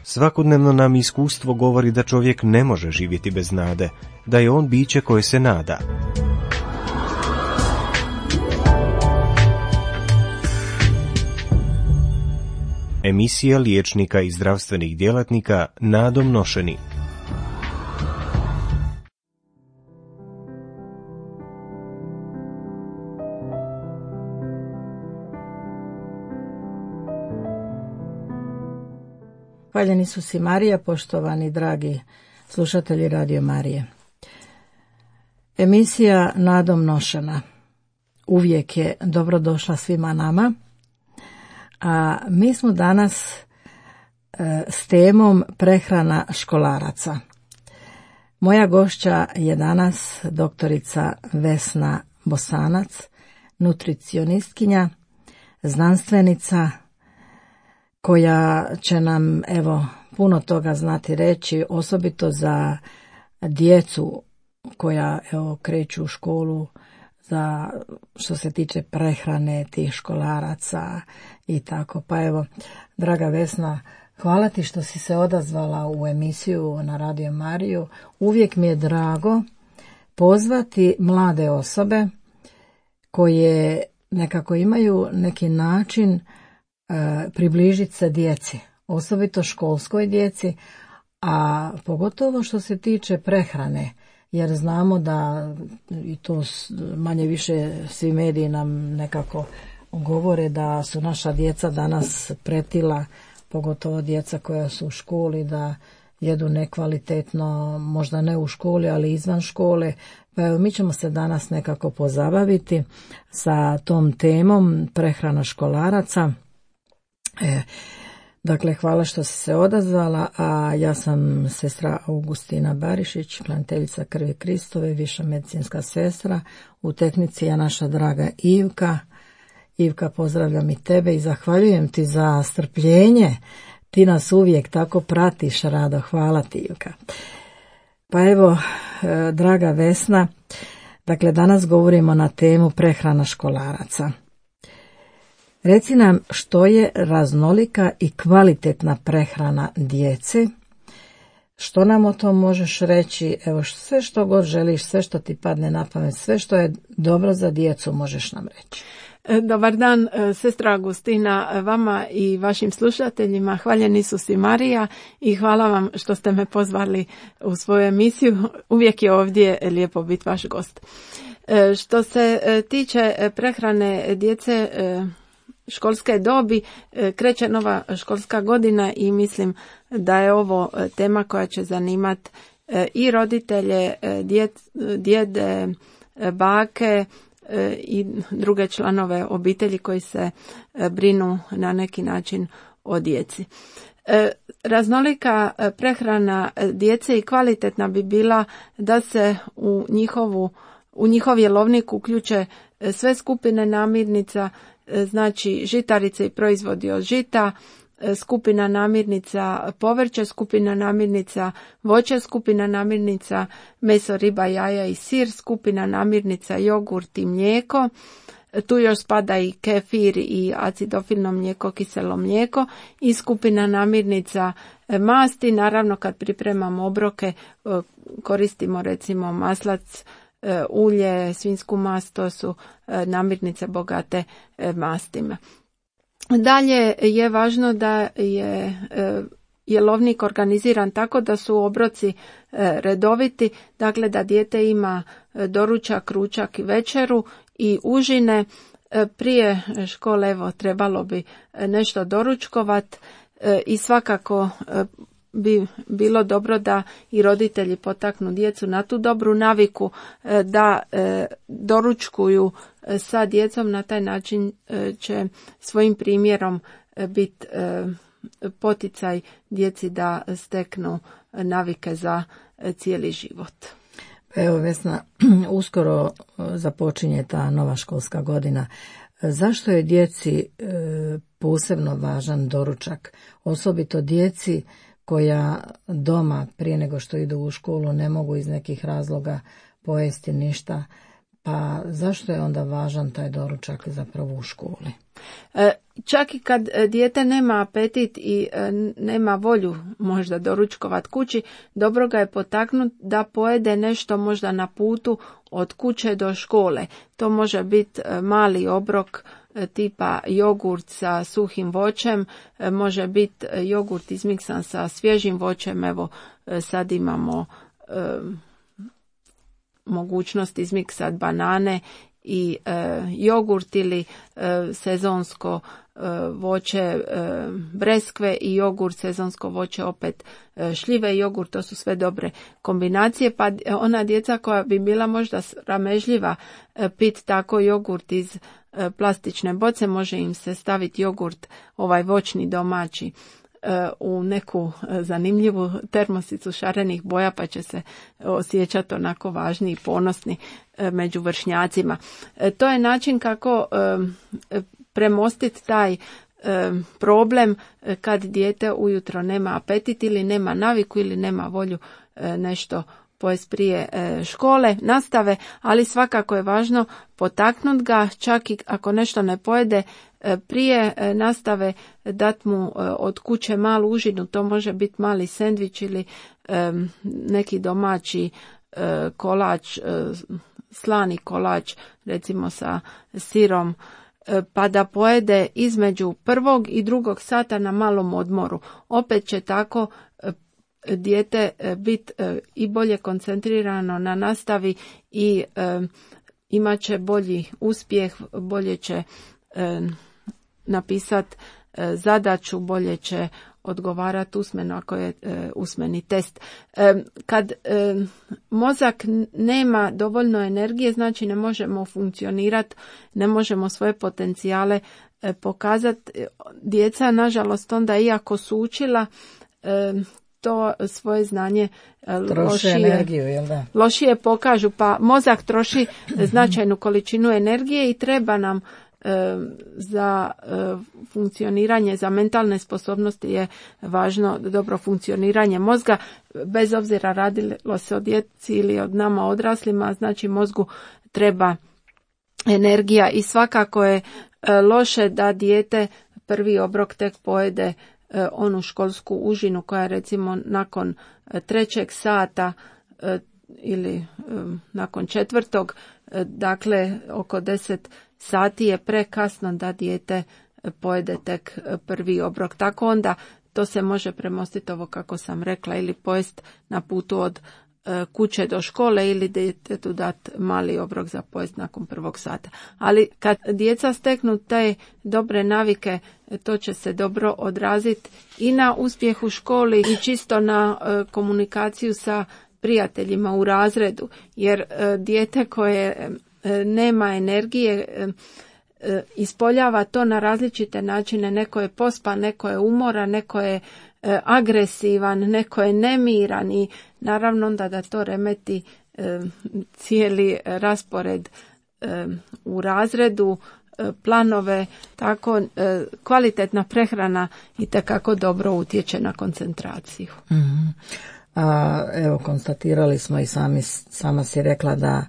Svakodnevno nam iskustvo govori da čovjek ne može živjeti bez nade, da je on biće koje se nada. Emisija liječnika i zdravstvenih djelatnika nadom nošeni. Hvaljeni su si Marija, poštovani dragi slušatelji Radio Marije. Emisija nadom nošena uvijek je dobrodošla svima nama, a mi smo danas s temom prehrana školaraca. Moja gošća je danas doktorica Vesna Bosanac, nutricionistkinja, znanstvenica, koja će nam puno toga znati reći, osobito za djecu koja kreću u školu, za što se tiče prehrane tih školaraca i tako. Pa draga Vesna, hvala ti što si se odazvala u emisiju na Radio Mariju. Uvijek mi je drago pozvati mlade osobe koje nekako imaju neki način približiti se djeci, osobito školskoj djeci, a pogotovo što se tiče prehrane, jer znamo da, i to manje više svi mediji nam nekako govore, da su naša djeca danas pretila, pogotovo djeca koja su u školi, da jedu nekvalitetno, možda ne u školi, ali izvan škole. Pa mi ćemo se danas nekako pozabaviti sa tom temom prehrana školaraca. Dakle, hvala što si se odazvala, a ja sam sestra Augustina Barišić, hraniteljica krvi Kristove, viša medicinska sestra. U tehnici je naša draga Ivka. Ivka, pozdravljam i tebe i zahvaljujem ti za strpljenje. Ti nas uvijek tako pratiš rado. Hvala ti, Ivka. Pa draga Vesna, dakle danas govorimo na temu prehrana školaraca. Reci nam što je raznolika i kvalitetna prehrana djece. Što nam o tom možeš reći? Sve što god želiš, sve što ti padne na pamet, sve što je dobro za djecu možeš nam reći. Dobar dan, sestra Agustina, vama i vašim slušateljima. Hvaljeni su si Marija i hvala vam što ste me pozvali u svoju emisiju. Uvijek je ovdje lijepo biti vaš gost. Što se tiče prehrane djece školske dobi, kreće nova školska godina i mislim da je ovo tema koja će zanimati i roditelje, djede, bake i druge članove obitelji koji se brinu na neki način o djeci. Raznolika prehrana djece i kvalitetna bi bila da se u njihov jelovnik uključe sve skupine namirnica, znači žitarice i proizvodi od žita, skupina namirnica povrće, skupina namirnica voće, skupina namirnica meso, riba, jaja i sir, skupina namirnica jogurt i mlijeko. Tu još spada i kefir i acidofilno mlijeko, kiselo mlijeko i skupina namirnica masti. Naravno kad pripremamo obroke koristimo recimo maslac, ulje, svinjsku mast, to su namirnice bogate mastima. Dalje je važno da je jelovnik organiziran tako da su obroci redoviti, dakle da dijete ima doručak, ručak i večeru i užine. Prije škole trebalo bi nešto doručkovat i svakako bi bilo dobro da i roditelji potaknu djecu na tu dobru naviku da doručkuju sa djecom. Na taj način će svojim primjerom biti poticaj djeci da steknu navike za cijeli život. Vesna, uskoro započinje ta nova školska godina. Zašto je djeci posebno važan doručak? Osobito djeci koja doma prije nego što idu u školu ne mogu iz nekih razloga pojesti ništa. Pa zašto je onda važan taj doručak zapravo u školi? Čak i kad dijete nema apetit i nema volju možda doručkovat kući, dobro ga je potaknuti da pojede nešto možda na putu od kuće do škole. To može biti mali obrok tipa jogurt sa suhim voćem, može biti jogurt izmiksan sa svježim voćem. Evo sad imamo mogućnost izmiksati banane i jogurt ili sezonsko voće breskve i jogurt, sezonsko voće opet šljive i jogurt, to su sve dobre kombinacije, pa ona djeca koja bi bila možda sramežljiva pit tako jogurt iz plastične boce, može im se staviti jogurt ovaj voćni domaći u neku zanimljivu termosicu šarenih boja, pa će se osjećati onako važni i ponosni među vršnjacima. To je način kako premostiti taj problem kad dijete ujutro nema apetit ili nema naviku ili nema volju nešto pojesti prije škole, nastave, ali svakako je važno potaknuti ga, čak i ako nešto ne pojede prije nastave, dat mu od kuće malu užinu, to može biti mali sendvič ili neki domaći kolač, slani kolač, recimo sa sirom, pa da pojede između 1. i 2. sata na malom odmoru. Opet će tako dijete biti i bolje koncentrirano na nastavi i imat će bolji uspjeh, bolje će napisati zadaću, bolje će odgovarati usmeno ako je usmeni test. Kad mozak nema dovoljno energije, znači ne možemo funkcionirati, ne možemo svoje potencijale pokazati. Djeca, nažalost, onda iako su učila, to svoje znanje lošije pokažu, pa mozak troši značajnu količinu energije i treba nam za funkcioniranje, za mentalne sposobnosti je važno dobro funkcioniranje mozga, bez obzira radilo se o djeci ili od nama odraslima, znači mozgu treba energija i svakako je loše da dijete prvi obrok tek pojede onu školsku užinu koja recimo nakon 3. sata ili nakon 4. Dakle oko 10 sati je prekasno da dijete pojede tek prvi obrok. Tako onda to se može premostiti, ovo kako sam rekla, ili pojest na putu od kuće do škole ili djetetu dati mali obrok za pojest nakon 1. sata. Ali kad djeca steknu te dobre navike, to će se dobro odraziti i na uspjeh u školi i čisto na komunikaciju sa prijateljima u razredu, jer dijete koje nema energije ispoljava to na različite načine. Neko je pospan, neko je umoran, neko je agresivan, neko je nemiran i naravno onda da to remeti cijeli raspored u razredu, planove, tako kvalitetna prehrana itekako dobro utječe na koncentraciju. Mm-hmm. Evo, konstatirali smo i sama si rekla da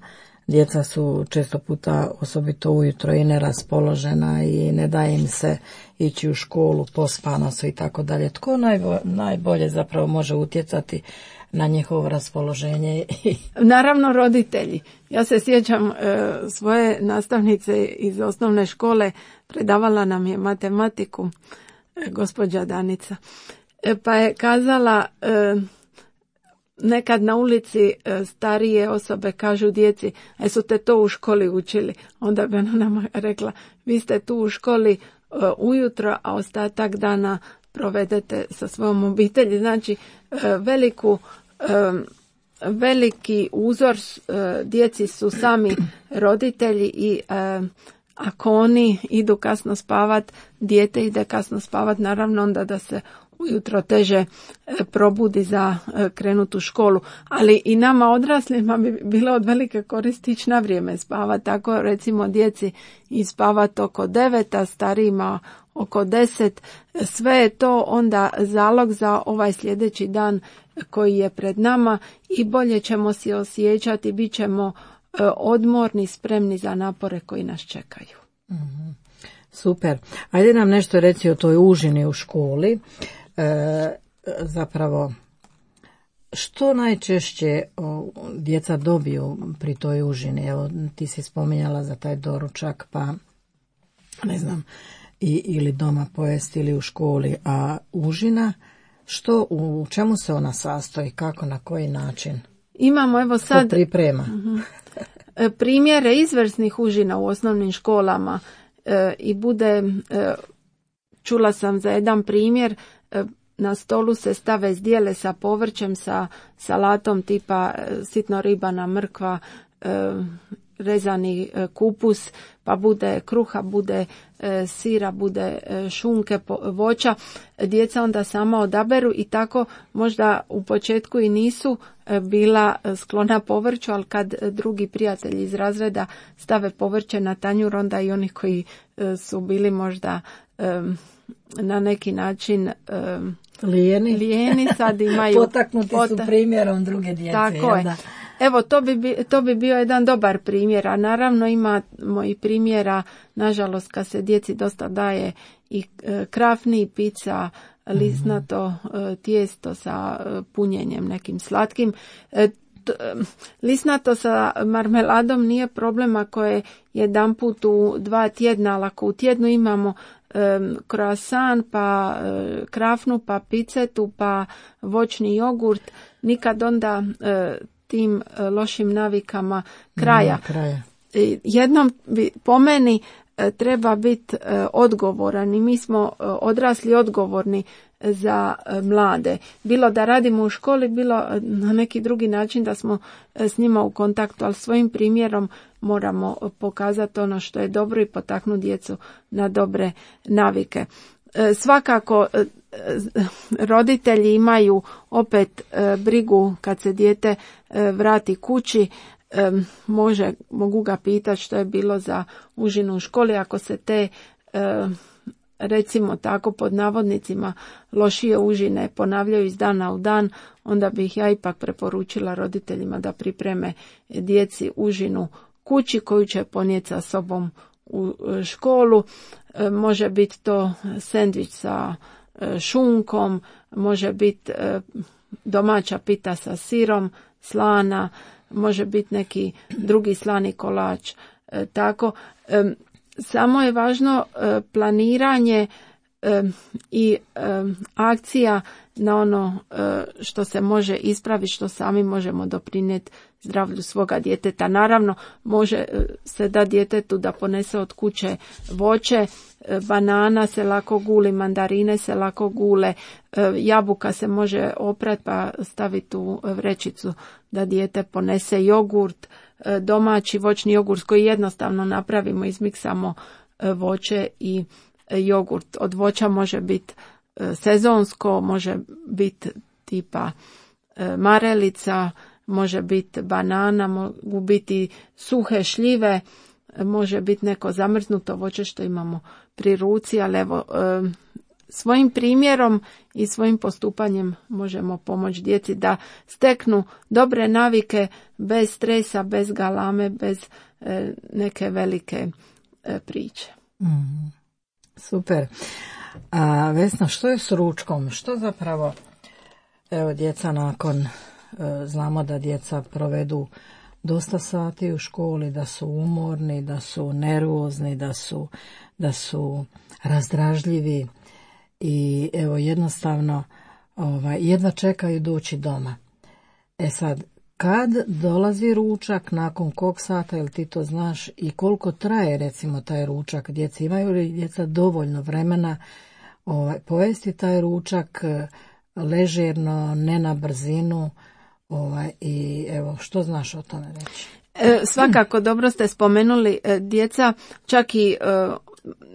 djeca su često puta, osobito ujutro, i neraspoložena i ne daje im se ići u školu, pospana su i tako dalje. Tko najbolje zapravo može utjecati na njihovo raspoloženje? Naravno roditelji. Ja se sjećam svoje nastavnice iz osnovne škole, predavala nam je matematiku, gospođa Danica, pa je kazala, nekad na ulici starije osobe kažu djeci, su te to u školi učili? Onda bi ona nama rekla, vi ste tu u školi ujutro, a ostatak dana provedete sa svojom obitelji. Znači veliki uzor djeci su sami roditelji i ako oni idu kasno spavat, dijete ide kasno spavat, naravno onda da se ujutro teže probudi za krenut u školu, ali i nama odraslima bi bilo od velike koristi ići na vrijeme spavati. Tako recimo djeci i spavati oko 9, a starijima oko 10. Sve je to onda zalog za ovaj sljedeći dan koji je pred nama i bolje ćemo se osjećati, bit ćemo odmorni, spremni za napore koji nas čekaju. Super. Ajde nam nešto reći o toj užini u školi. Zapravo, što najčešće djeca dobiju pri toj užini? Evo, ti si spominjala za taj doručak, pa ne znam, ili doma pojesti ili u školi, a užina, u čemu se ona sastoji, kako, na koji način? Imamo evo sad priprema. Primjere izvrsnih užina u osnovnim školama i bude, čula sam za jedan primjer, na stolu se stave zdjele sa povrćem, sa salatom tipa sitno ribana mrkva, rezani kupus, pa bude kruha, bude sira, bude šunke, voća. Djeca onda sama odaberu i tako možda u početku i nisu bila sklona povrću, ali kad drugi prijatelji iz razreda stave povrće na tanjur, onda i oni koji su bili možda na neki način lijeni sad imaju potaknuti su primjerom druge djece. Tako je. Evo, to bi bio jedan dobar primjer, a naravno imamo i primjera, nažalost, kad se djeci dosta daje i krafni i pizza, lisnato tijesto sa punjenjem nekim slatkim. Lisnato sa marmeladom nije problem ako je jedanput u 2 tjedna, ali ako u tjednu imamo croissant, pa krafnu, pa picetu, pa voćni jogurt, nikad onda tim lošim navikama kraja. Jednom po meni treba biti odgovoran i mi smo odrasli odgovorni za mlade. Bilo da radimo u školi, bilo na neki drugi način da smo s njima u kontaktu, ali svojim primjerom moramo pokazati ono što je dobro i potaknuti djecu na dobre navike. Svakako roditelji imaju opet brigu kad se dijete vrati kući, mogu ga pitati što je bilo za užinu u školi. Ako se te recimo tako pod navodnicima lošije užine ponavljaju iz dana u dan, onda bih ja ipak preporučila roditeljima da pripreme djeci užinu kući koju će ponijeti sa sobom u školu. Može biti to sendvič sa šunkom, može biti domaća pita sa sirom, slana, može biti neki drugi slani kolač. Tako, samo je važno planiranje i akcija na ono što se može ispraviti, što sami možemo doprinijeti zdravlju svoga djeteta. Naravno, može se da djetetu da ponese od kuće voće, banana se lako guli, mandarine se lako gule, jabuka se može oprati pa staviti u vrećicu da dijete ponese jogurt, domaći voćni jogurt koji jednostavno napravimo, izmiksamo voće i jogurt. Od voća može biti sezonsko, može biti tipa marelica, može biti banana, mogu biti suhe šljive, može biti neko zamrznuto voće što imamo pri ruci, ali evo, svojim primjerom i svojim postupanjem možemo pomoći djeci da steknu dobre navike bez stresa, bez galame, bez neke velike priče. Super. A Vesna, što je s ručkom? Što zapravo, evo, djeca nakon, znamo da djeca provedu dosta sati u školi, da su umorni, da su nervozni, da su razdražljivi i evo jednostavno jedva čekaju doći doma. Sad, kad dolazi ručak, nakon kog sata, jel ti to znaš, i koliko traje recimo taj ručak? Djeca imaju li djeca dovoljno vremena pojesti taj ručak ležerno, ne na brzinu, i evo, što znaš o tome reći? Svakako dobro ste spomenuli, djeca, čak i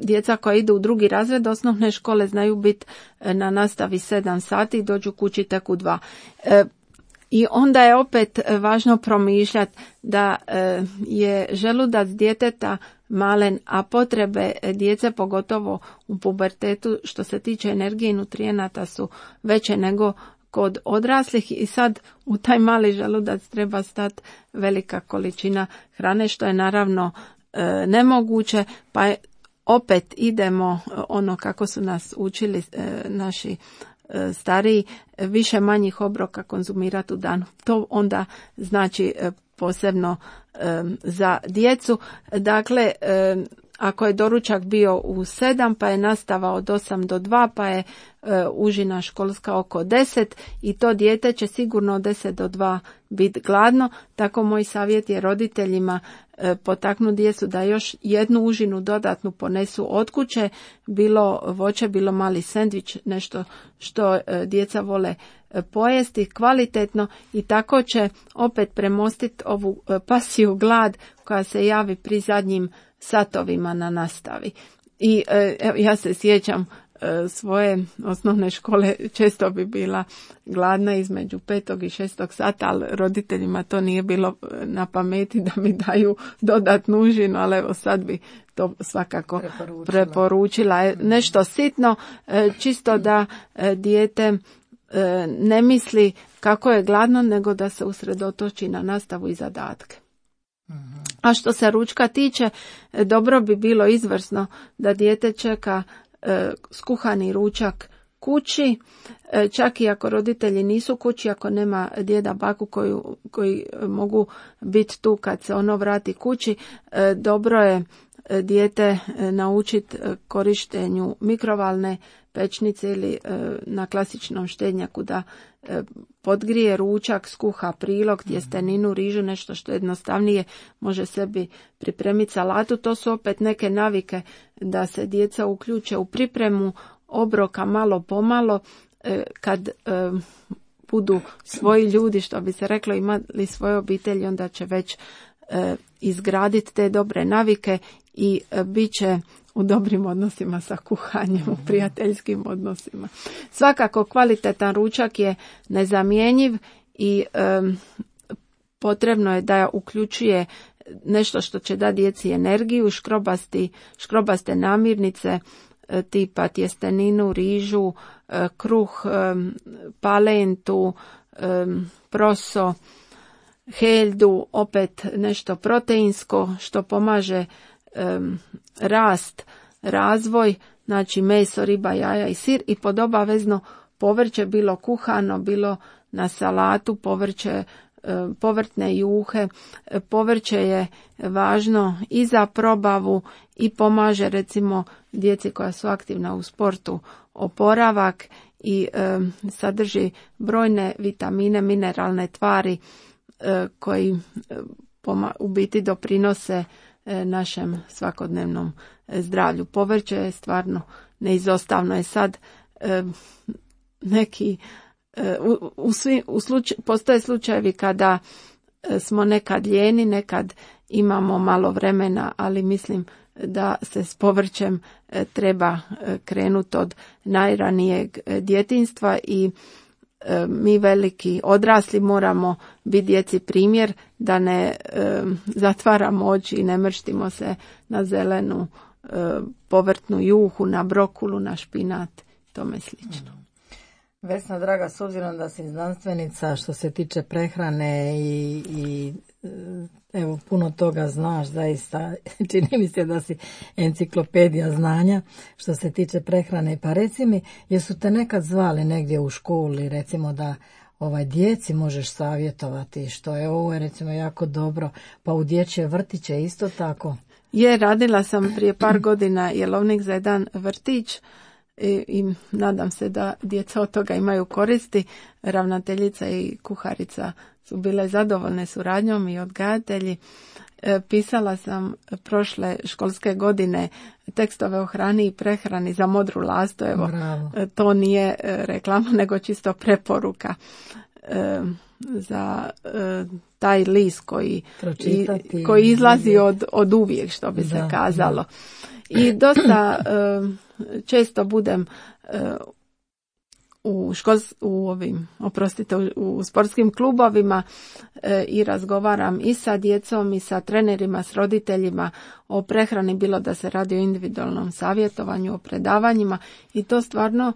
djeca koja idu u 2. razred osnovne škole znaju biti na nastavi 7 sati i dođu kući tek u 2. I onda je opet važno promišljati da je želudac djeteta malen, a potrebe djece, pogotovo u pubertetu, što se tiče energije i nutrijenata, su veće nego kod odraslih i sad u taj mali želudac treba stati velika količina hrane, što je naravno nemoguće, pa opet idemo ono kako su nas učili naši stariji, više manjih obroka konzumirati u danu. To onda znači posebno za djecu. Dakle, ako je doručak bio u 7, pa je nastava od 8 do 2, pa je užina školska oko 10 i to dijete će sigurno od 10 do 2 biti gladno. Tako moj savjet je roditeljima potaknu djecu da još jednu užinu dodatnu ponesu od kuće, bilo voće, bilo mali sendvič, nešto što djeca vole pojesti kvalitetno i tako će opet premostiti ovu pasiju glad koja se javi pri zadnjim satovima na nastavi. I ja se sjećam svoje osnovne škole, često bi bila gladna između 5. i 6. sata, ali roditeljima to nije bilo na pameti da mi daju dodatnu užinu, ali evo sad bi to svakako preporučila. Nešto sitno, čisto da dijete ne misli kako je gladno, nego da se usredotoči na nastavu i zadatke. A što se ručka tiče, dobro bi bilo izvrsno da dijete čeka skuhani ručak kući, čak i ako roditelji nisu kući, ako nema djeda, baku koji mogu biti tu kad se ono vrati kući, dobro je dijete naučiti korištenju mikrovalne pečnice ili na klasičnom štednjaku da podgrije ručak, skuha prilog, tjesteninu, rižu, nešto što jednostavnije može sebi pripremiti salatu. To su opet neke navike da se djeca uključe u pripremu obroka malo pomalo, kad budu svoji ljudi, što bi se reklo, imali svoje obitelji, onda će već izgraditi te dobre navike i bit će u dobrim odnosima sa kuhanjem, u prijateljskim odnosima. Svakako kvalitetan ručak je nezamjenjiv i potrebno je da uključuje nešto što će dati djeci energiju, škrobaste namirnice tipa tjesteninu, rižu, kruh, palentu, proso, heljdu, opet nešto proteinsko što pomaže rast, razvoj, znači meso, riba, jaja i sir i pod obavezno povrće, bilo kuhano, bilo na salatu, povrtne juhe. Povrće je važno i za probavu i pomaže recimo djeci koja su aktivna u sportu oporavak i sadrži brojne vitamine, mineralne tvari koji u biti doprinose našem svakodnevnom zdravlju. Povrće je stvarno neizostavno. Je sad neki postoje slučajevi kada smo nekad lijeni, nekad imamo malo vremena, ali mislim da se s povrćem treba krenuti od najranijeg djetinjstva i mi veliki odrasli moramo biti djeci primjer da ne zatvaramo oči i ne mrštimo se na zelenu povrtnu juhu, na brokulu, na špinat, tome slično. Vesna, draga, s obzirom da si znanstvenica što se tiče prehrane i evo puno toga znaš, zaista čini mi se da si enciklopedija znanja što se tiče prehrane, pa reci mi, jesu te nekad zvali negdje u školi, recimo da djeci možeš savjetovati, što je ovo je recimo jako dobro, pa u dječje vrtiće isto tako? Radila sam prije par godina jelovnik za jedan vrtić i nadam se da djeca od toga imaju koristi. Ravnateljica i kuharica su bile zadovoljne suradnjom i odgajatelji. Pisala sam prošle školske godine tekstove o hrani i prehrani za Modru lastu. Evo, bravo. To nije reklama, nego čisto preporuka za taj list koji izlazi od uvijek, što bi se kazalo. I dosta često budem u sportskim klubovima i razgovaram i sa djecom i sa trenerima, s roditeljima o prehrani, bilo da se radi o individualnom savjetovanju, o predavanjima, i to stvarno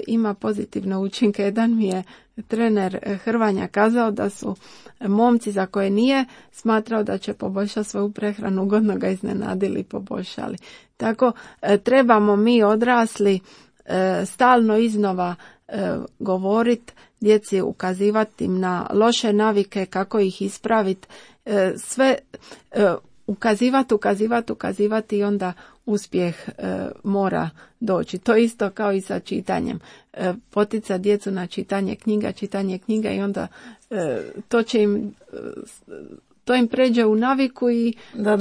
ima pozitivne učinke. Jedan mi je trener Hrvanja kazao da su momci za koje nije smatrao da će poboljšati svoju prehranu, ugodno ga iznenadili i poboljšali. Tako trebamo mi odrasli stalno iznova govoriti djeci, ukazivati im na loše navike, kako ih ispraviti, sve ukazivati i onda uspjeh mora doći. To isto kao i sa čitanjem. Potica djecu na čitanje knjiga i onda to im pređe u naviku i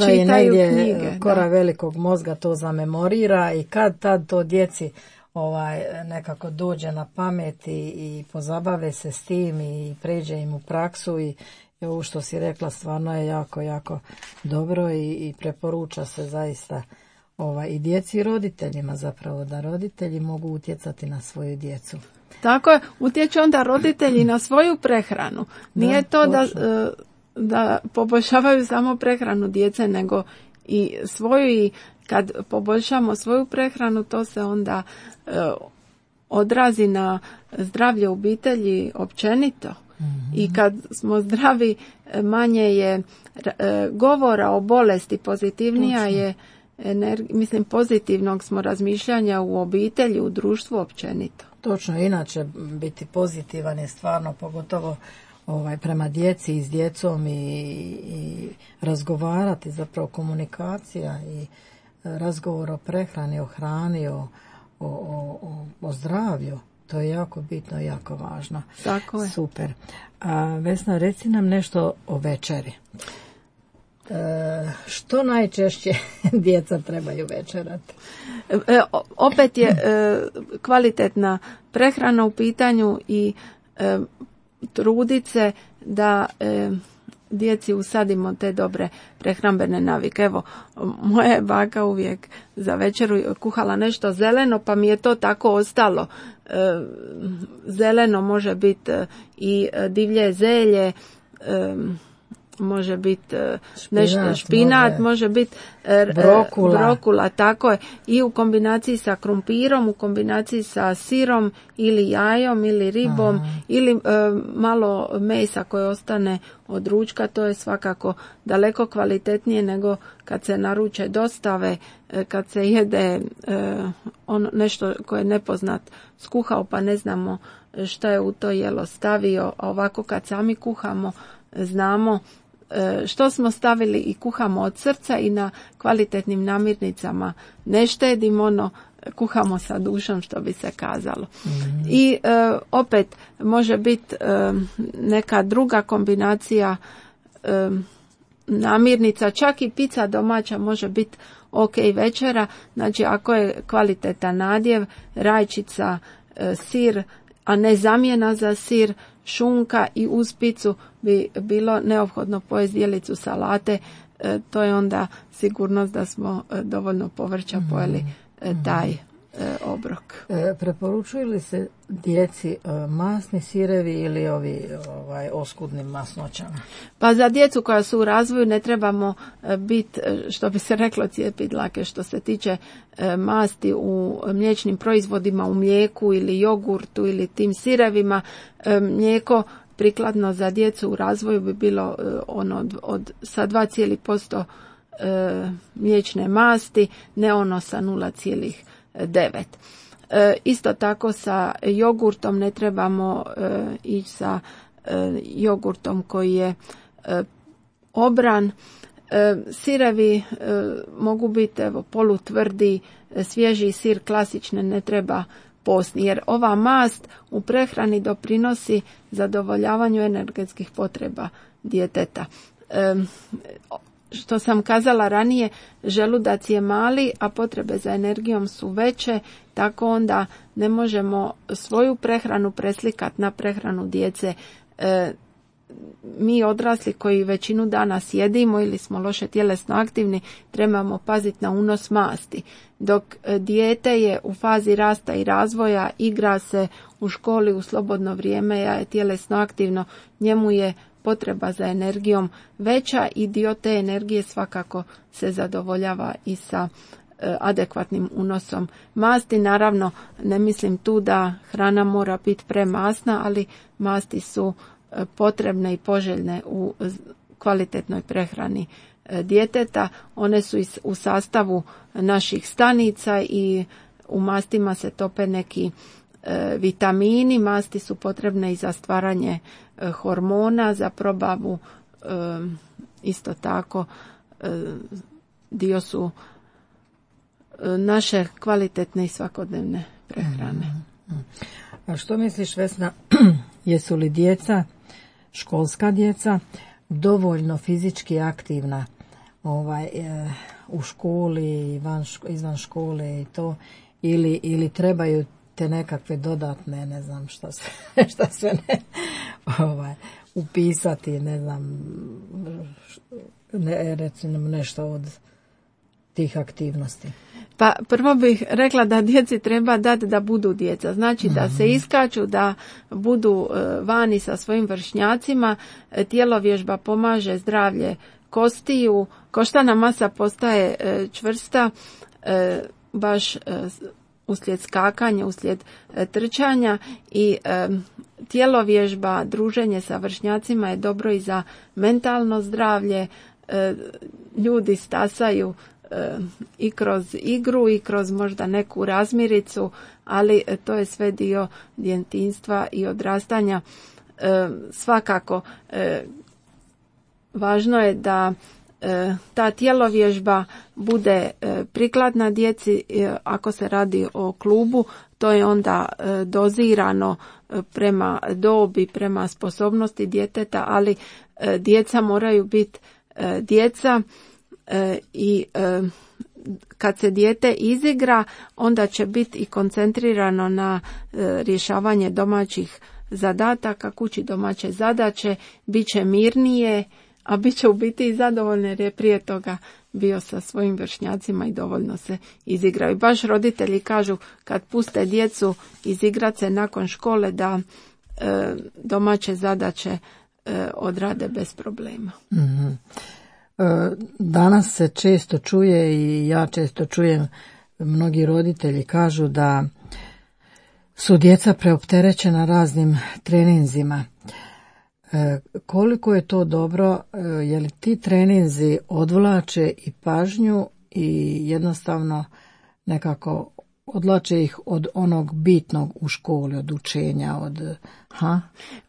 čitaju knjige. Kora velikog mozga to zamemorira i kad tad to djeci nekako dođe na pamet i pozabave se s tim i pređe im u praksu i ovo što si rekla stvarno je jako, jako dobro i preporuča se zaista i djeci i roditeljima zapravo, da roditelji mogu utjecati na svoju djecu. Tako je, utječu onda roditelji na svoju prehranu. Nije to da poboljšavaju samo prehranu djece, nego i svoju, i kad poboljšamo svoju prehranu, to se onda odrazi na zdravlje obitelji općenito. I kad smo zdravi, manje je govora o bolesti, pozitivnija je pozitivnog smo razmišljanja u obitelji, u društvu općenito. Točno, inače biti pozitivan je stvarno, pogotovo prema djeci i s djecom i razgovarati, zapravo komunikacija i razgovor o prehrani, o hrani, o zdravlju. To je jako bitno i jako važno. Tako je. Super. Vesna, reci nam nešto o večeri. Što najčešće djeca trebaju večerati? Opet je kvalitetna prehrana u pitanju i trudit se da djeci usadimo te dobre prehrambene navike. Evo, moja baka uvijek za večeru kuhala nešto zeleno, pa mi je to tako ostalo. Zeleno može biti i divlje zelje, može biti nešto špinat, može biti brokula, tako je, i u kombinaciji sa krumpirom, u kombinaciji sa sirom ili jajom ili ribom. Aha. Ili malo mesa koje ostane od ručka. To je svakako daleko kvalitetnije nego kad se naruče dostave, kad se jede nešto koje je nepoznat skuhao pa ne znamo šta je u to jelo stavio, a ovako kad sami kuhamo znamo što smo stavili i kuhamo od srca i na kvalitetnim namirnicama ne štedimo, kuhamo sa dušom, što bi se kazalo. Mm-hmm. I opet može biti neka druga kombinacija namirnica, čak i pizza domaća može biti ok večera. Znači ako je kvalitetan nadjev, rajčica, sir, a ne zamjena za sir, šunka i uz picu bi bilo neophodno pojesti dijelicu salate, to je onda sigurnost da smo dovoljno povrća pojeli taj obrok. Preporučuju li se djeci masni sirevi ili ovi oskudnim masnoćama? Pa za djecu koja su u razvoju ne trebamo biti, što bi se reklo, cijepit dlake što se tiče masti u mliječnim proizvodima, u mlijeku ili jogurtu ili tim sirevima. Mlijeko prikladno za djecu u razvoju bi bilo sa 2,% mliječne masti, ne ono sa 0,9. Isto tako sa jogurtom ne trebamo ići sa jogurtom koji je obran. Sirevi mogu biti polutvrdi, svježi sir klasične ne treba postni, jer ova mast u prehrani doprinosi zadovoljavanju energetskih potreba djeteta. Što sam kazala ranije, želudac je mali, a potrebe za energijom su veće, tako onda ne možemo svoju prehranu preslikati na prehranu djece. mi odrasli koji većinu dana sjedimo ili smo loše tjelesno aktivni, trebamo paziti na unos masti. Dok dijete je u fazi rasta i razvoja, igra se u školi u slobodno vrijeme, je tjelesno aktivno, njemu je potreba za energijom veća i dio te energije svakako se zadovoljava i sa adekvatnim unosom masti. Naravno, ne mislim tu da hrana mora biti premasna, ali masti su potrebne i poželjne u kvalitetnoj prehrani djeteta. One su u sastavu naših stanica i u mastima se tope neki vitamini. Masti su potrebne i za stvaranje hormona, za probavu isto tako dio su naše kvalitetne i svakodnevne prehrane. A što misliš, Vesna, jesu li djeca, školska djeca, dovoljno fizički aktivna u školi, izvan škole i to, ili trebaju te nekakve dodatne, ne znam šta sve upisati, ne znam, recimo nešto od tih aktivnosti? Pa prvo bih rekla da djeci treba dati da budu djeca. Znači da se iskaču, da budu vani sa svojim vršnjacima. Tjelovježba pomaže zdravlje kostiju. Koštana masa postaje čvrsta baš uslijed skakanja, uslijed trčanja i tjelovježba, druženje sa vršnjacima je dobro i za mentalno zdravlje. Ljudi stasaju i kroz igru i kroz možda neku razmiricu, ali to je sve dio djetinjstva i odrastanja. Svakako važno je da ta tjelovježba bude prikladna djeci. Ako se radi o klubu, to je onda dozirano prema dobi, prema sposobnosti djeteta, ali djeca moraju biti djeca i kad se dijete izigra, onda će biti i koncentrirano na rješavanje domaćih zadataka, kući domaće zadaće, bit će mirnije, a bit će u biti i zadovoljne jer je prije toga bio sa svojim vršnjacima i dovoljno se izigraju. Baš roditelji kažu kad puste djecu izigrat se nakon škole da domaće zadaće odrade bez problema. Mm-hmm. Danas se često čuje i ja često čujem, mnogi roditelji kažu da su djeca preopterećena raznim treninzima. Koliko je to dobro, je li ti treninzi odvlače i pažnju i jednostavno nekako odvlače ih od onog bitnog u školi, od učenja,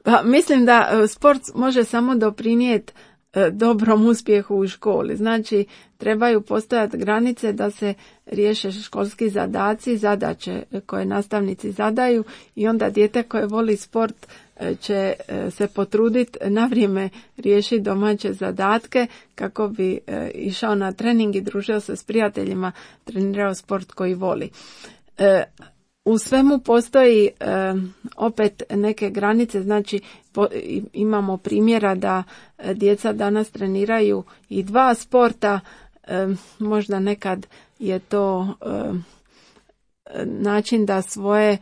Pa, mislim da sport može samo doprinijeti dobrom uspjehu u školi. Znači, trebaju postojati granice da se riješe školski zadaci, zadaće koje nastavnici zadaju i onda dijete koje voli sport će se potruditi na vrijeme riješiti domaće zadatke kako bi išao na trening i družio se s prijateljima, trenirao sport koji voli. U svemu postoji opet neke granice, znači imamo primjera da djeca danas treniraju i dva sporta, možda nekad je to način da svoje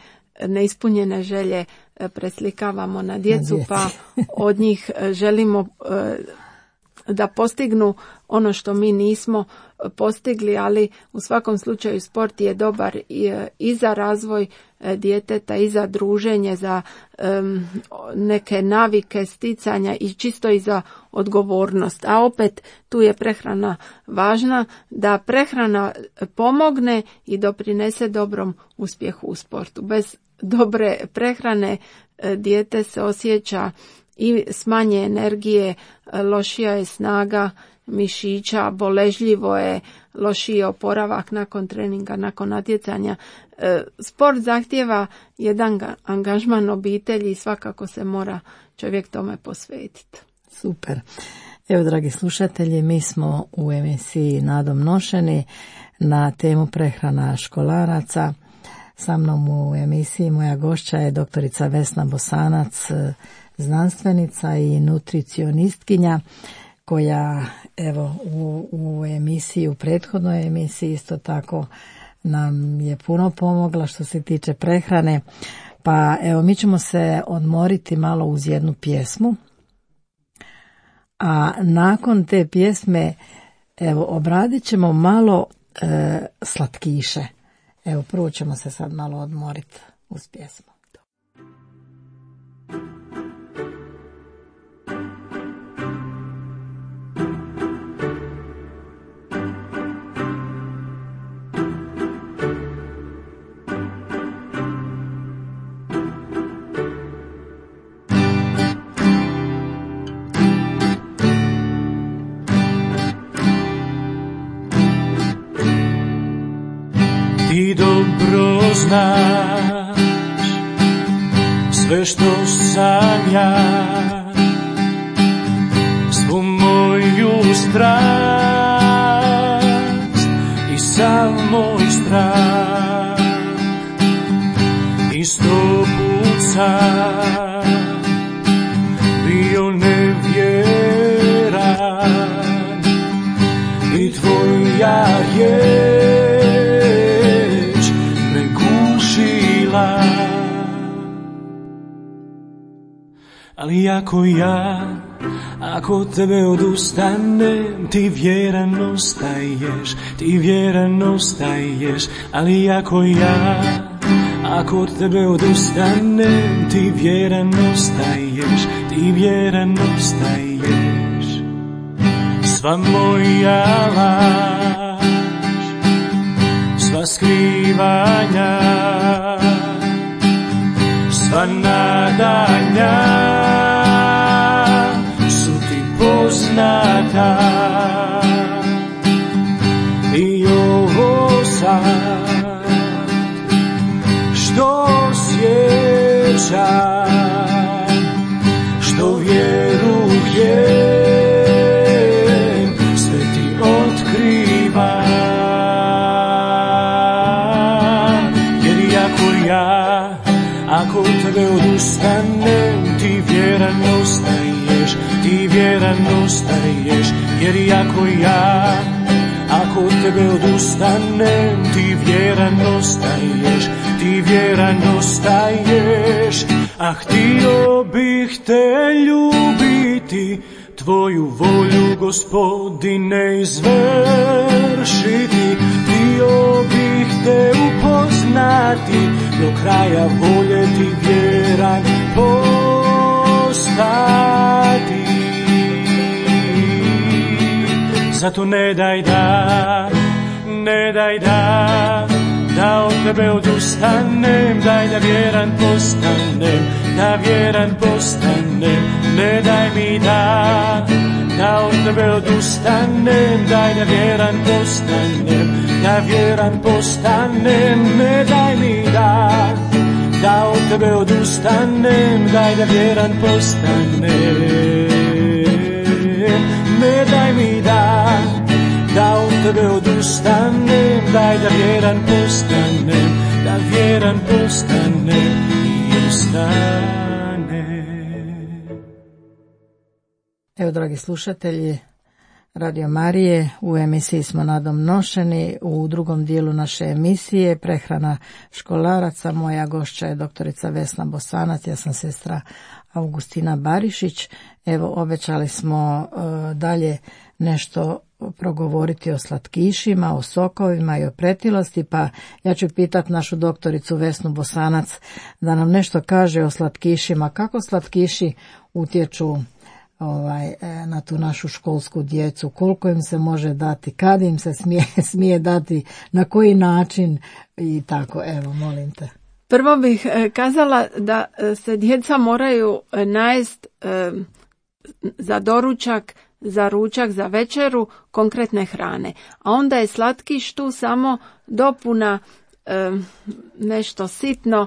neispunjene želje preslikavamo na djecu, pa od njih želimo da postignu ono što mi nismo postigli, ali u svakom slučaju sport je dobar i za razvoj djeteta, i za druženje, za neke navike sticanja i čisto i za odgovornost. A opet tu je prehrana važna, da prehrana pomogne i doprinese dobrom uspjehu u sportu. Bez dobre prehrane dijete se osjeća i s manje energije, lošija je snaga mišića, boležljivo je, lošiji oporavak nakon treninga, nakon natjecanja. Sport zahtijeva jedan angažman obitelji i svakako se mora čovjek tome posvetiti. Super. Evo, dragi slušatelji, mi smo u emisiji Nadom nošeni na temu prehrana školaraca. Sa mnom u emisiji moja gošća je doktorica Vesna Bosanac, znanstvenica i nutricionistkinja koja evo u emisiji, u prethodnoj emisiji isto tako nam je puno pomogla što se tiče prehrane. Pa evo mi ćemo se odmoriti malo uz jednu pjesmu, a nakon te pjesme evo obradit ćemo malo slatkiše. Evo prvo ćemo se sad malo odmoriti uz pjesmu. Ti dobro znaš sve što sam ja, svu moju strast i sav moj strah. I 100 put sam bio nevjeran i tvoja riječ me gušila. Ali ako od tebe odustanem, ti vjeran ostaješ. Ali ako od tebe odustanem, ti vjeran ostaješ. Sva moja laž, sva skrivanja, sva nadanja su ti poznata. I ovo sad što osjećam, što vjerujem, sve ti otkrivam. Jer ako od tebe odustanem, ti vjeran ostaješ. Jer ako od tebe odustanem, ti vjeran ostaješ. A htio bih te ljubiti, tvoju volju, Gospodine, izvršiti. Htio bih te upoznati, do kraja voljeti, vjeran postati. Zato ne daj da od tebe odustanem, daj da vjeran postanem. Ne daj mi da od tebe odustanem, daj da vjeran postanem. Ne daj mi da od tebe odustanem, daj da vjeran postanem. Ne daj mi da od tebe odustanem, daj da vjeran postanem i ostanem. Evo, dragi slušatelji Radio Marije, u emisiji smo nadomnošeni. U drugom dijelu naše emisije prehrana školaraca. Moja gošća je doktorica Vesna Bosanac, ja sam sestra Augustina Barišić. Evo, obećali smo dalje nešto progovoriti o slatkišima, o sokovima i o pretilosti, pa ja ću pitati našu doktoricu Vesnu Bosanac da nam nešto kaže o slatkišima. Kako slatkiši utječu na tu našu školsku djecu, koliko im se može dati, kad im se smije dati, na koji način i tako. Evo, molim te. Prvo bih kazala da se djeca moraju najest za doručak, za ručak, za večeru konkretne hrane. A onda je slatkiš tu samo dopuna, nešto sitno,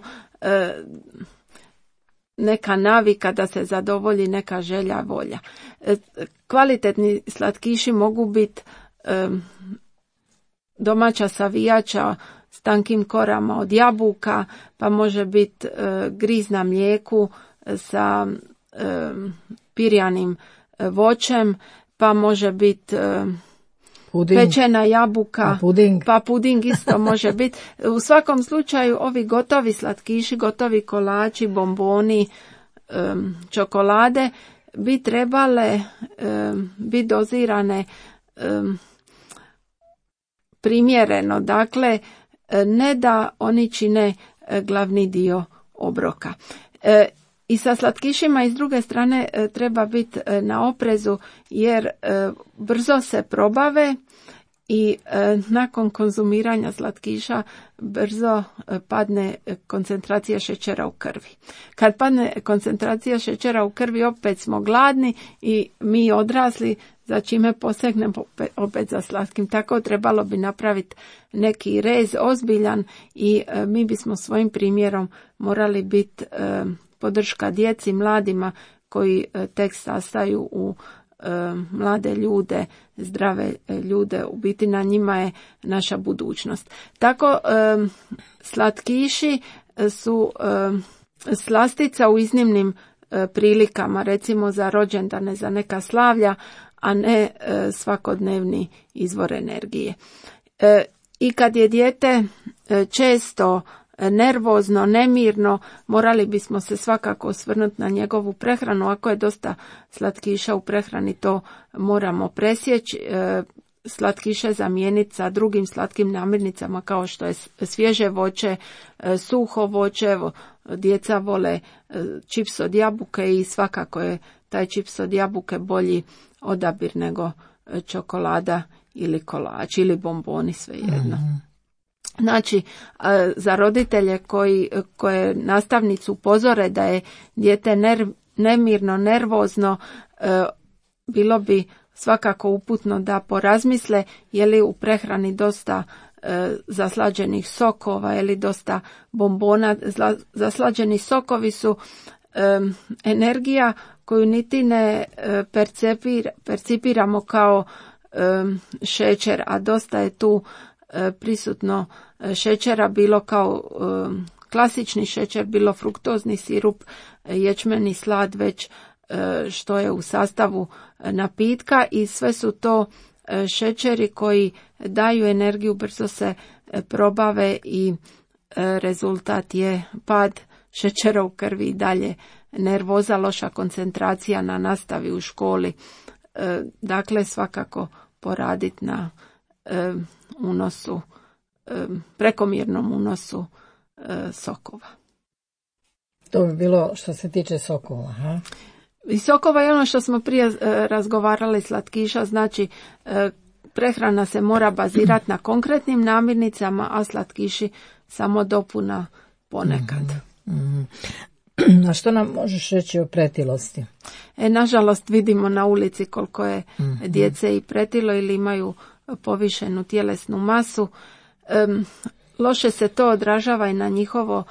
neka navika da se zadovolji neka želja, volja. Kvalitetni slatkiši mogu biti domaća savijača s tankim korama od jabuka, pa može biti griz na mlijeku sa pirjanim voćem, pa može biti pečena jabuka, pa puding isto može biti. U svakom slučaju ovi gotovi slatkiši, gotovi kolači, bomboni, čokolade bi trebale biti dozirane primjereno. Dakle, ne da oni čine glavni dio obroka. I sa slatkišima i s druge strane treba biti na oprezu jer brzo se probave i nakon konzumiranja slatkiša brzo padne koncentracija šećera u krvi. Kad padne koncentracija šećera u krvi opet smo gladni i mi odrasli za čime posegnemo opet za slatkim. Tako trebalo bi napraviti neki rez ozbiljan i mi bismo svojim primjerom morali biti podrška djeci, mladima koji tek sastaju u mlade ljude, zdrave ljude, u biti na njima je naša budućnost. Tako slatkiši su slastica u iznimnim prilikama, recimo za rođendane, za neka slavlja, a ne svakodnevni izvor energije. I kad je dijete često nervozno, nemirno, morali bismo se svakako osvrnuti na njegovu prehranu. Ako je dosta slatkiša u prehrani, to moramo presjeći. Slatkiše zamijeniti sa drugim slatkim namirnicama kao što je svježe voće, suho voće. Djeca vole čips od jabuke i svakako je taj čips od jabuke bolji odabir nego čokolada ili kolač ili bomboni, svejedno. Znači, za roditelje koje nastavnicu upozore da je dijete nemirno, nervozno, bilo bi svakako uputno da porazmisle je li u prehrani dosta zaslađenih sokova, je li dosta bombona. Zaslađeni sokovi su energija koju niti ne percipiramo kao šećer, a dosta je tu prisutno šećera, bilo kao klasični šećer, bilo fruktozni sirup, ječmeni slad, već što je u sastavu napitka, i sve su to šećeri koji daju energiju, brzo se probave i rezultat je pad šećera u krvi i dalje nervoza, loša koncentracija na nastavi u školi. Dakle, svakako poraditi na unosu, prekomjernom unosu sokova. To bi bilo što se tiče sokova. Ha? I sokova je ono što smo prije razgovarali, slatkiša, znači prehrana se mora bazirati na konkretnim namirnicama, a slatkiši samo dopuna ponekad. A što nam možeš reći o pretilosti? Nažalost, vidimo na ulici koliko je djece i pretilo ili imaju povišenu tjelesnu masu. Loše se to odražava i na njihovo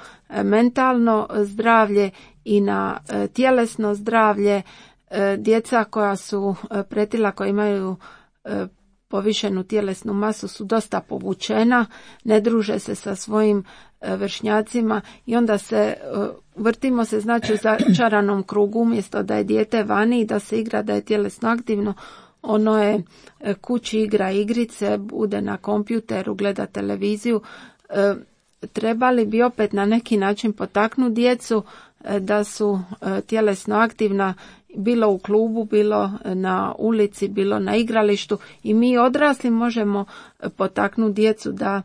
mentalno zdravlje i na tjelesno zdravlje. Djeca koja su pretila, koja imaju povišenu tjelesnu masu, su dosta povučena, ne druže se sa svojim vršnjacima i onda vrtimo se, znači, u začaranom krugu. Umjesto da je dijete vani i da se igra, da je tjelesno aktivno, ono je kući, igra igrice, bude na kompjuteru, gleda televiziju. Trebali bi opet na neki način potaknuti djecu da su tjelesno aktivna, bilo u klubu, bilo na ulici, bilo na igralištu, i mi odrasli možemo potaknuti djecu da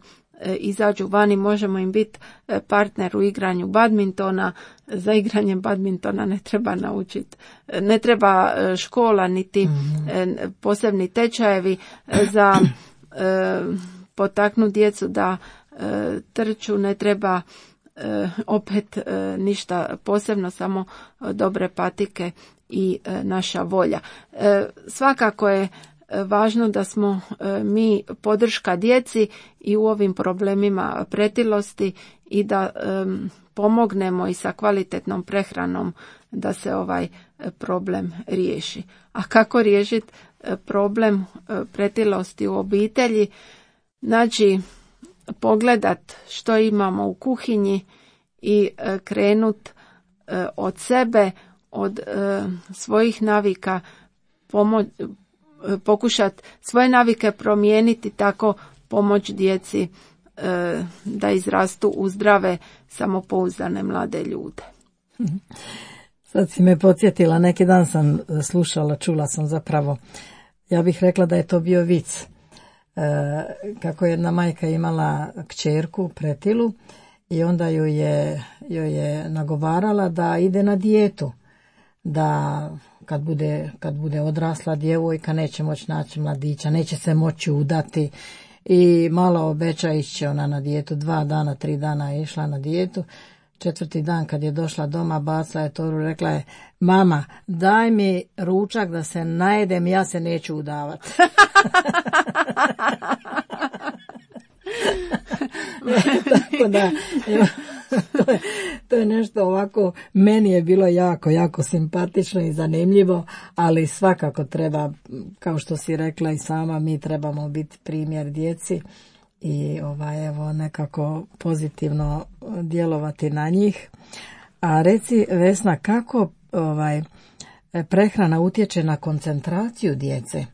izađu vani, možemo im biti partner u igranju badmintona. Za igranje badmintona ne treba naučiti, ne treba škola niti posebni tečajevi. Za potaknuti djecu da trču ne treba opet ništa posebno, samo dobre patike i naša volja. Svakako je važno da smo mi podrška djeci i u ovim problemima pretilosti i da pomognemo i sa kvalitetnom prehranom da se ovaj problem riješi. A kako riješiti problem pretilosti u obitelji? Znači, pogledat što imamo u kuhinji i krenut od sebe, od svojih navika pokušati svoje navike promijeniti, tako pomoć djeci da izrastu u zdrave, samopouzdane mlade ljude. Sad si me podsjetila, neki dan sam slušala, čula sam zapravo, ja bih rekla da je to bio vic, kako jedna majka imala kćerku pretilu i onda joj je nagovarala da ide na dijetu, da kad bude odrasla djevojka neće moći naći mladića, neće se moći udati i malo obeća ići ona na dijetu. 2 dana, 3 dana je išla na dijetu. 4. dan kad je došla doma, bacila je toru, rekla je: mama, daj mi ručak da se najedem, ja se neću udavati. Tako da, to je nešto ovako, meni je bilo jako, jako simpatično i zanimljivo, ali svakako treba, kao što si rekla i sama, mi trebamo biti primjer djeci i evo nekako pozitivno djelovati na njih. A reci, Vesna, kako prehrana utječe na koncentraciju djece?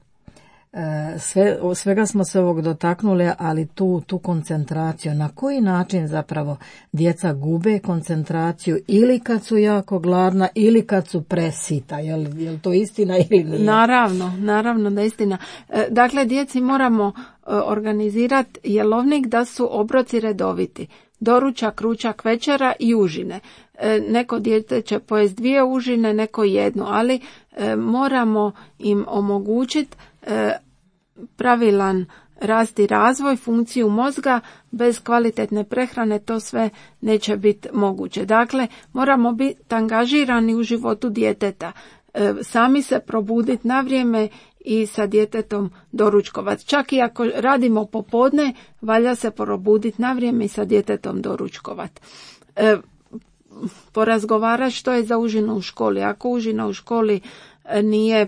Svega smo se ovog dotaknuli, ali tu koncentraciju, na koji način zapravo djeca gube koncentraciju, ili kad su jako gladna ili kad su presita, je li to istina ili nije? Naravno da je istina. Dakle, djeci moramo organizirati jelovnik da su obroci redoviti. Doručak, ručak, večera i užine. Neko dijete će pojesti 2 užine, neko 1, ali moramo im omogućiti pravilan rast i razvoj, funkciju mozga. Bez kvalitetne prehrane to sve neće biti moguće. Dakle, moramo biti angažirani u životu djeteta, sami se probuditi na vrijeme i sa djetetom doručkovati. Čak i ako radimo popodne, valja se probuditi na vrijeme i sa djetetom doručkovati. Porazgovarati što je za užinu u školi. Ako užina u školi nije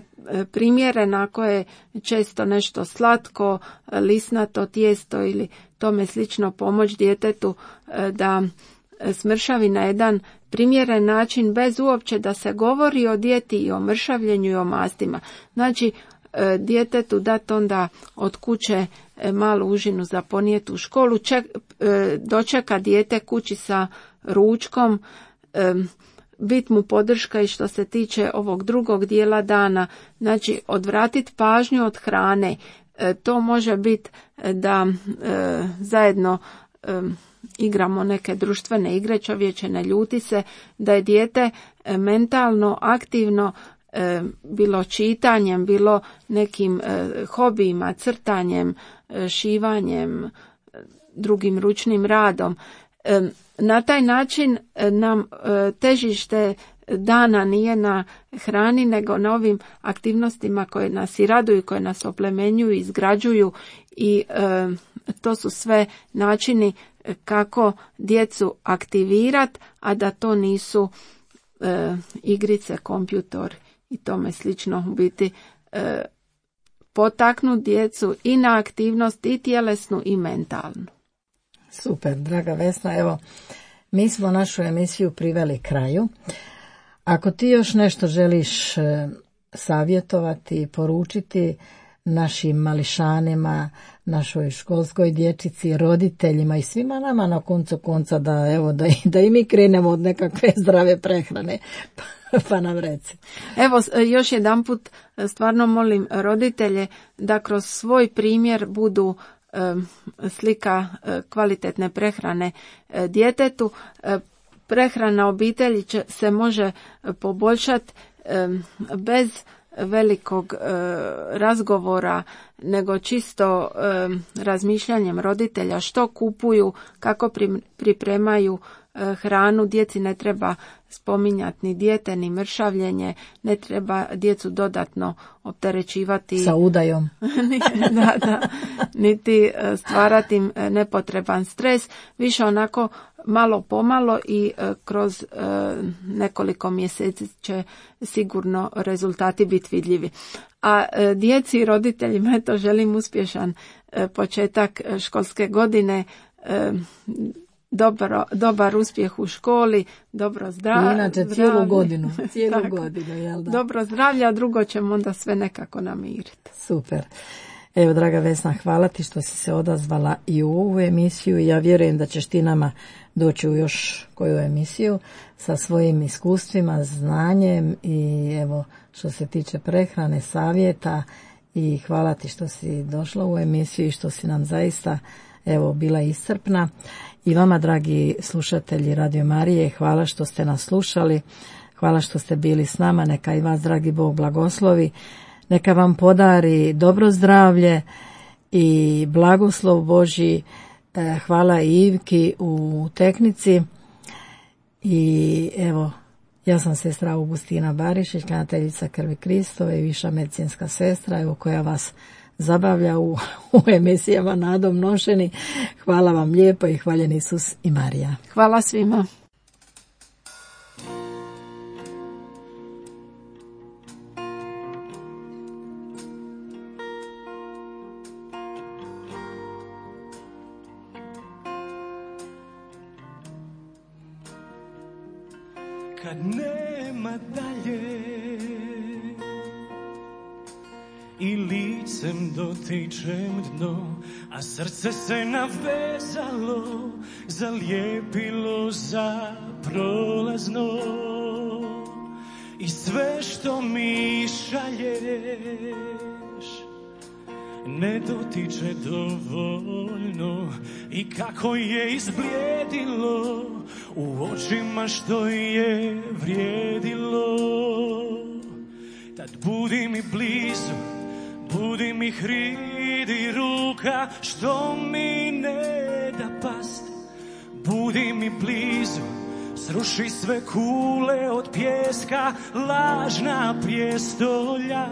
primjerena, ako je često nešto slatko, lisnato tijesto ili tome slično, pomoć djetetu da smršavi na jedan primjeren način, bez uopće da se govori o dijeti i o mršavljenju i o mastima. Znači, djetetu dati onda od kuće malu užinu za ponijeti u školu, dočeka dijete kući sa ručkom, bit mu podrška i što se tiče ovog drugog dijela dana, znači odvratiti pažnju od hrane. To može biti da zajedno igramo neke društvene igre, čovječe ne ljuti se, da je dijete mentalno aktivno, bilo čitanjem, bilo nekim hobijima, crtanjem, šivanjem, drugim ručnim radom. Na taj način nam težište dana nije na hrani, nego na ovim aktivnostima koje nas i raduju, koje nas oplemenjuju, izgrađuju i to su sve načini kako djecu aktivirati, a da to nisu igrice, kompjutor i tome slično. U biti potaknuti djecu i na aktivnost i tjelesnu i mentalnu. Super, draga Vesna, evo, mi smo našu emisiju priveli kraju. Ako ti još nešto želiš savjetovati, poručiti našim mališanima, našoj školskoj dječici, roditeljima i svima nama na koncu konca, da i mi krenemo od nekakve zdrave prehrane, pa nam reci. Evo, još jedanput stvarno molim roditelje da kroz svoj primjer budu slika kvalitetne prehrane djetetu. Prehrana obitelji se može poboljšati bez velikog razgovora, nego čisto razmišljanjem roditelja što kupuju, kako pripremaju hranu. Djeci ne treba spominjati ni dijete, ni mršavljenje, ne treba djecu dodatno opterećivati sa udajom. da, niti stvarati im nepotreban stres, više onako malo pomalo i kroz nekoliko mjeseci će sigurno rezultati biti vidljivi. A djeci i roditeljima eto želim uspješan početak školske godine. dobar uspjeh u školi, dobro zdravlje. Inače cijelu godinu, jel da? Dobro zdravlje, a drugo ćemo onda sve nekako namiriti. Super. Evo, draga Vesna, hvala ti što si se odazvala i u ovu emisiju. Ja vjerujem da ćeš ti nama doći u još koju emisiju sa svojim iskustvima, znanjem i evo što se tiče prehrane, savjeta, i hvala ti što si došla u emisiju i što si nam zaista evo bila iscrpna. I vama, dragi slušatelji Radio Marije, hvala što ste nas slušali, hvala što ste bili s nama, neka i vas dragi Bog blagoslovi, neka vam podari dobro zdravlje i blagoslov Božji. Hvala i Ivki u tehnici. I evo, ja sam sestra Augustina Barišić, klanjateljica Krvi Kristove i viša medicinska sestra, evo, koja vas zabavlja u emisijama Nadom nošeni. Hvala vam lijepo i hvaljen Isus i Marija. Hvala svima. Kad nema dalje i licem dotičem dno, a srce se navezalo, zalijepilo za prolazno, i sve što mi šalješ ne dotiče dovoljno, i kako je izblijedilo u očima što je vrijedilo. Tad budi mi blizu, budi mi hridi ruka što mi ne da past. Budi mi blizu, sruši sve kule od pijeska, lažna prijestolja.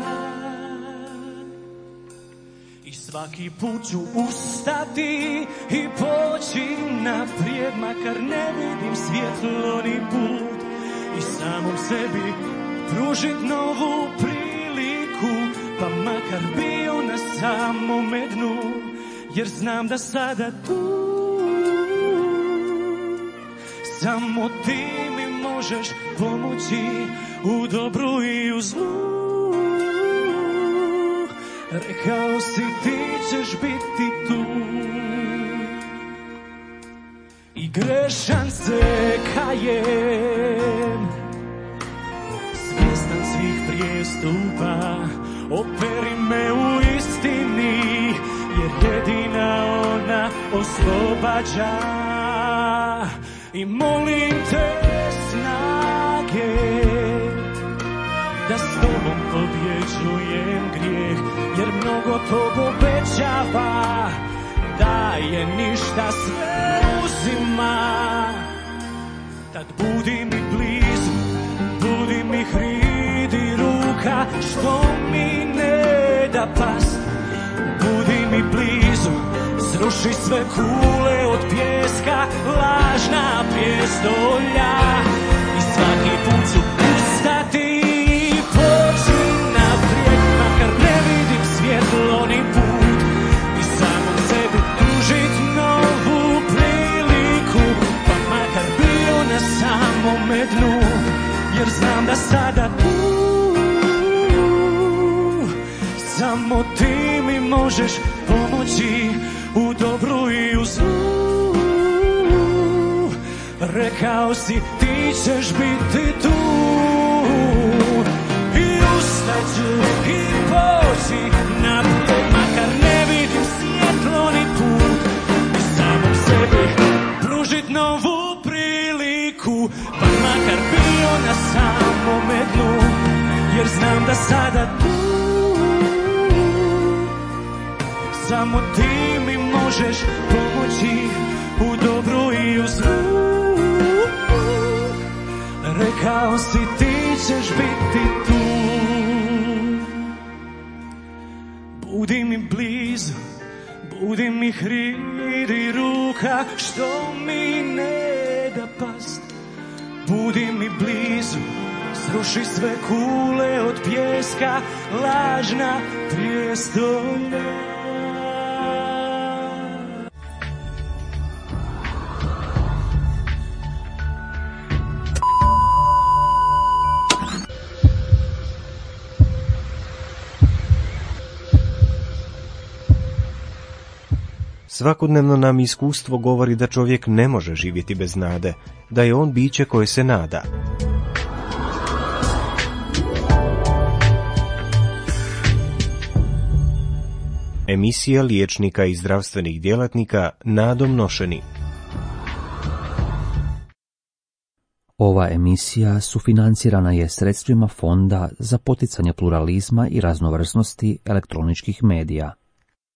I svaki put ću ustati i poći naprijed, makar ne vidim svjetlo ni put, i samom sebi pružit novu priliku, pa makar bio na samome dnu, jer znam da sada tu samo ti mi možeš pomoći u dobru i u zlu. Rekao si ti ćeš biti tu, i grešan se kajem, svjestan svih prijestupa. Operi me u istini, jer jedina ona oslobađa. I molim te snage da s tobom pobjeđujem grijeh, jer mnogo tog obećava, daje ništa, sve uzima. Tad budi mi blizu, budi mi hridi ruka što mi ne da past. Budi mi blizu, sruši sve kule od pijeska, lažna prijestolja. I svaki put ću ustati i poći naprijed, makar ne vidim svjetlo ni put, i samom sebi pružit novu priliku, pa makar bio na samome dnu, jer znam da sada tu samo ti mi možeš pomoći u dobru i u zlu. Rekao si ti ćeš biti tu, i ustaću i poći naprijed, makar ne vidim svjetlo ni put, i samom sebi pružit novu priliku, pa makar bio na samome dnu, jer znam da sada tu samo ti mi možeš pomoći u dobru i u zlu. Rekao si ti ćeš biti tu. Budi mi blizu, budi mi hridi ruka što mi ne da past. Budi mi blizu, sruši sve kule od pijeska, lažna prijestolja. Svakodnevno nam iskustvo govori da čovjek ne može živjeti bez nade, da je on biće koje se nada. Emisija liječnika i zdravstvenih djelatnika nadom nošeni. Ova emisija sufinancirana je sredstvima Fonda za poticanje pluralizma i raznovrsnosti elektroničkih medija.